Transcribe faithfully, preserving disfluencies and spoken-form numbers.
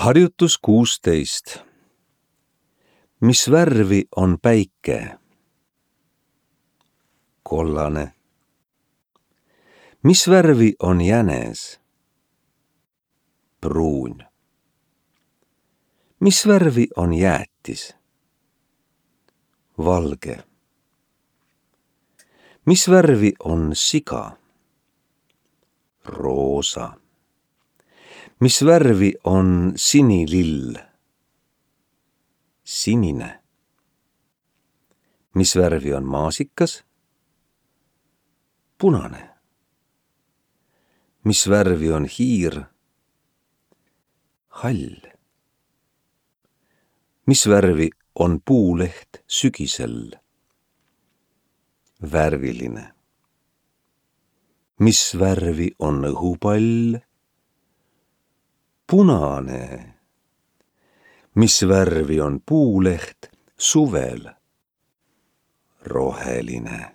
Harjutus kuusteist. Mis värvi on päike? Kollane. Mis värvi on jänes? Pruun. Mis värvi on jäätis? Valge. Mis värvi on siga? Roosa. Mis värvi on sinilill? Sinine. Mis värvi on maasikas? Punane. Mis värvi on hiir? Hall. Mis värvi on puuleht sügisel? Värviline. Mis värvi on õhupall? Punane. Mis värvi on puuleht suvel? Roheline.